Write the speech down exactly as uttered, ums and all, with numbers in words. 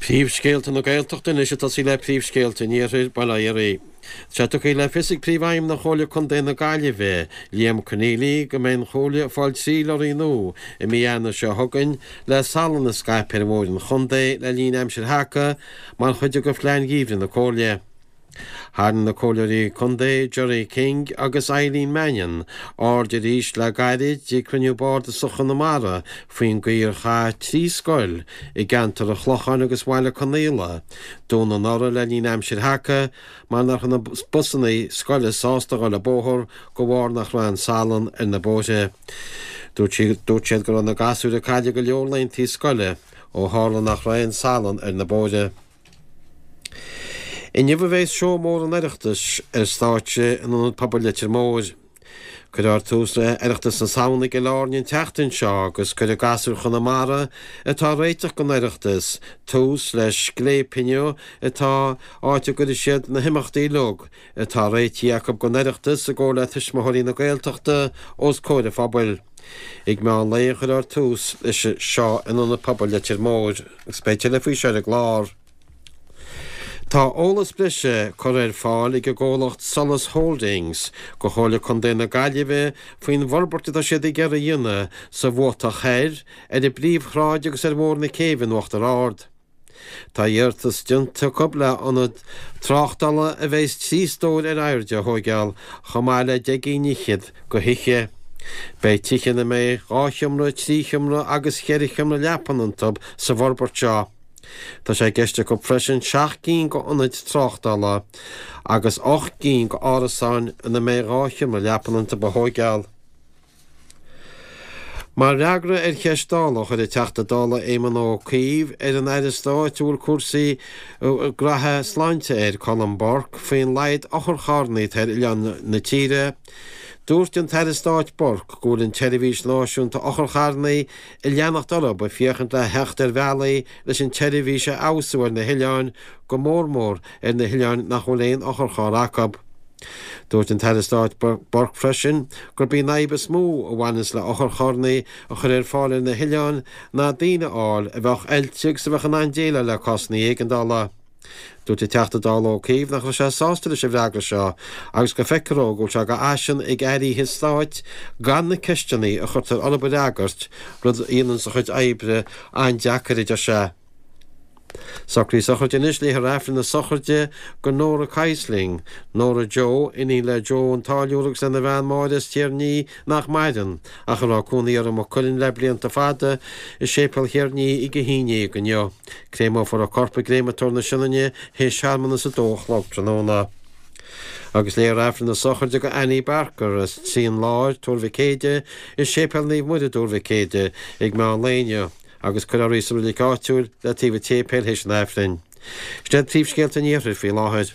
Príomhscéalta na Gaeltachta anois ag tosaí le príomhscéalta an Iarthair, bail ó Dhia oraibh. Tá sé tugtha le fios ag Príomhfheidhmeannach Chomhairle Contae na Gaillimhe, Liam Conneely, go mbeidh an Chomhairle ag fáil trí lorraí nua i mí Eanáir seo chugainn le salann a scaipeadh ar bhóithre an chontae le linn aimsir sheaca mar chuid de phlean gheimhridh na Comhairle. Tharraing na Comhairleoirí Contae Gerry King agus Eileen Mannion aird arís le gairid ag cruinniú bardasach Chonamara faoin gcaoi ar chaith trí scoil i gceantar an Chlocháin agus Bhaile Conaola dúnadh anuraidh le linn aimsir sheaca mar nach raibh na busanna scoile sásta a dhul an bóthar de bharr nach raibh aon salann ar na bóithre. Dúirt siad go raibh na gasúir ag cailleadh go leor laethanta scoile ó tharla nach raibh aon salann ar na bóithre. Inniu a bheas seó mór an Oireachtais ar stáitse in Ionad Pobail Leitir Móir. Cuirfear tús le hOireachtas na Samhna i gCill Airne an tseachtain seo agus cuirfidh gasúir Chonamara atá ag réiteach don Oireachtas tús le scléip inniu atá áit a gcuirfidh siad na himeachtaí uilig atá réitithe acu don Oireachtas i gcomhar le Tuismitheoirí na Gaeltachta os comhair an phobail. Ag meán lae a chuirfear tús leis seo in Ionad Pobail Leitir Móir agus beidh tuilleadh faoi seo ar an gclár. Tá eolas breise curtha ar fáil ag an gcomhlacht Solas Holdings do Chomhairle Contae na Gaillimhe faoin bhforbairt atá siad ag iarraidh a dhéanamh sa Bhuatach Thoir, ar an bPríomhshráid agus ar Bhóthar na Céibhe in Uachtar Ard. Tá iarratas déanta acu le ionad tráchtála a bheas trí stór ar airde a thóigeáil chomh maith le deich gcinn fhichead de thithe. Beidh tithe ina mbeidh dhá sheomra, trí sheomra agus cheithre sheomra leapan iontu sa bhforbairt seo. Tá sé i gceist acu freisin seacht gcinn d'ionaid tráchtála agus ocht gcinn d'árasáin ina mbeidh dhá sheomra leapan iontu a thóigeáil. Mar fhreagra ar cheist Dála a chuir an Teachta Dála Éamon Ó Cuív ar an Aire Stáit a bhfuil cúrsaí graithe sláinte air, Colm Burke, faoin laghad otharcharranna atá ar oileáin na tíre, dúirt an tAire Stáit Burke go bhfuil an tSeirbhís Náisiúnta Otharcharranna ag leanacht orthu ag féachaint le theacht ar bhealaí leis an tseirbhís a fheabhsú ar na hoileáin, go mór mór ar na hoileáin nach bhfuil aon otharcharr acu. Dúirt an tAire Stáit Burke freisin gurb í an fhadhb is mó a bhaineanns le otharcharranna a chur ar fáil ar na hoileáin ná daoine a fháil a bheadh oilte agus a bheadh in ann déileáil le cásanna éigeandála. Dúirt an Teachta Dála Ó Cuív nach raibh sé sásta leis an bhfreagra seo agus go bhfeictear dó go bhfuil sé de fhaisean ag airí stáit gan na ceisteanna a chuirtear orthu a fhreagairt, rud a dhéananns a chuid oibre an-deacair, a deir sé. Socruithe sochraide anois, léifear Aifreann na sochraide do Nóra Keisling, Nóra Joe, iníon le Joe an Táilliúra agus lena bhean Máire as Tír an Fhia nach maireann, ach a raibh cónaí orthu i Maigh Cuilinn le blianta fada, i Séipéal Thír an Fhia ag a haon déag inniu. Créamófar a corp i gCréamatóir na Sionainne théis searmanas a dó a chlog tráthnóna. Agus léifear Aifreann na sochraide do Annie Barker as Trian Láir, Tuar Mhic Éide, i Séipéal Naomh Muire, Tuar Mhic Éide, ag meán lae inniu, agus cuirfear í sa reilig áitiúil le taobh an tséipéil théis an Aifrinn. Sin iad príomhscéalta an Iarthair faoi láthair.